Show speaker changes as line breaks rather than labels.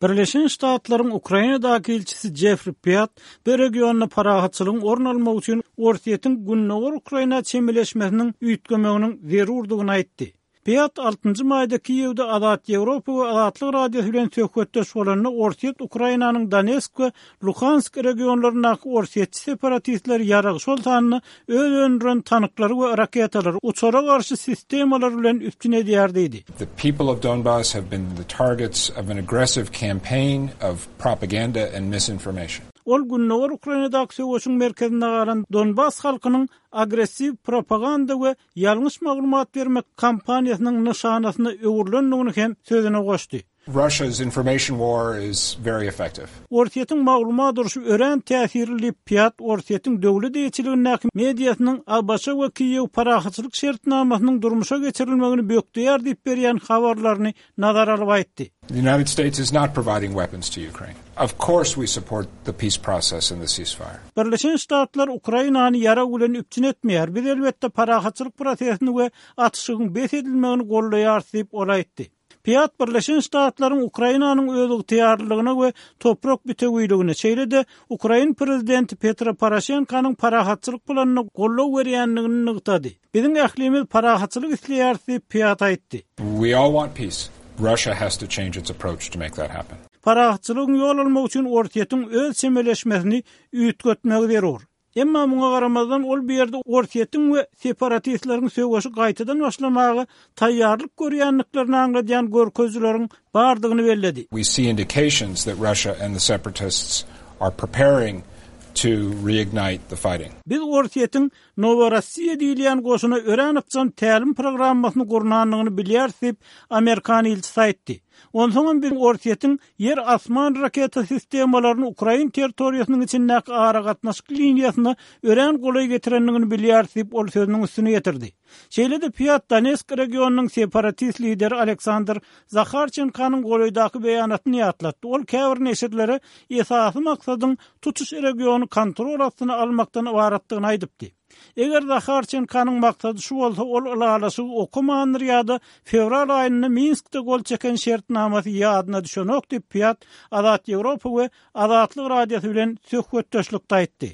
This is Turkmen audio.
Birleşen Ştatlaryň Ukrainadaky ilçisi Jeffri Piat bu regionda parahatçylygyň orun almagy üçin Orsýetiň gündogar Ukraina çemeleşmesiniň üýtgemeginiň zerurdygyny aýtdy. Piat altynjy maýda Kiýewde Azat Ýewropa we Azatlyk Radiosy bilen söhbetdeş bolanda Orsýet Ukrainanyň Donesk we Luhansk regionlaryndaky orsýetçi separatistleri ýarag, şol sanda öz öndüren tanklary we raketalary, uçara garşy sistemalar bilen üpjün edýär diýdi.
The people of Donbas have been the targets of an aggressive campaign of propaganda and misinformation.
Ol gündogar Ukrainadaky söweşiň merkezinde galan Donbas halkynyň agressiw propaganda we ýalňyş maglumat bermek kampaniýasynyň nyşanasyna öwrülendigini hem sözüne goşdy.
Russia's information war is very effective.
Orsýetiň maglumat urşy örän täsirli diýip, Piat Orsýetiň döwlet eýeçiligindäki mediasynyň ABŞ we Kiýew parahatçylyk şertnamasynyň durmuşa geçirilmegini bökdeýär diýip berýän habarlaryny nazara alyp aýtdy.
The United States is not providing weapons to Ukraine. Of course we support the peace process and the ceasefire.
Birleşen Ştatlar Ukrainany ýarag bilen üpjün etmeýär. Biz, elbetde, parahatçylyk prosesini we atyşygyň bes edilmegini goldaýarys diýip, ol aýtdy. Piat Birleşen Ştatlaryň Ukrainanyň özygtyýarlylygyna we toprak bütewiligine, şeýle-de ukrain prezidenti Petro Poroşenkonyň parahatçylyk planyna goldaw berýändigini nygtady. Biziň ählimiz parahatçylyk isleýäris diýip, Piat aýtdy.
We all want peace. Russia has to change its approach to make that happen.
Parahatçylygyň ýol almagy üçin Orsýetiň öz çemeleşmesini üýtgetmegi zerur. Emma muňa garamazdan, ol bu ýerde Orsýetiň we separatistleriň söweşi gaýtadan başlamaga taýýarlyk görýändiklerini aňladýan görkezijileriň bardygyny belledi.
We see indications that Russia and the separatists are preparing to reignite the fighting.
Biz Orsýetiň Noworossiýa diýilýän goşuna örän ykjam tälim programmasyny gurnandygyny bilýäris diýip, amerikan ilçisi aýtdy. Onsoňam biz Orsýetiň ýer-asman raketa sistemalaryny ukrain territoriýasynyň içindäki aragatnaşyk liniýasyna örän golaý getirendigini bilýäris diýip, ol sözüniň üstüni ýetirdi. Şeýle-de Piat Donetsk regionynyň separatist lideri Aleksandr Zaharçenkonyň golaýdaky beýanatyny ýatlatdy, ol käbir neşirlere esasy maksadyň tutuş regiony kontrol astyna almakdan ybaratdygyny aýdypdy. Eger Zaharçenkonyň maksady şu bolsa, ol ylalaşygy okamandyr ýa-da fewral aýynda Minskde gol çeken şertnamasy ýadyna düşenok diýip, Piat Azat Ýewropa we Azatlyk Radiosy bilen söhbetdeşlikde aýtdy.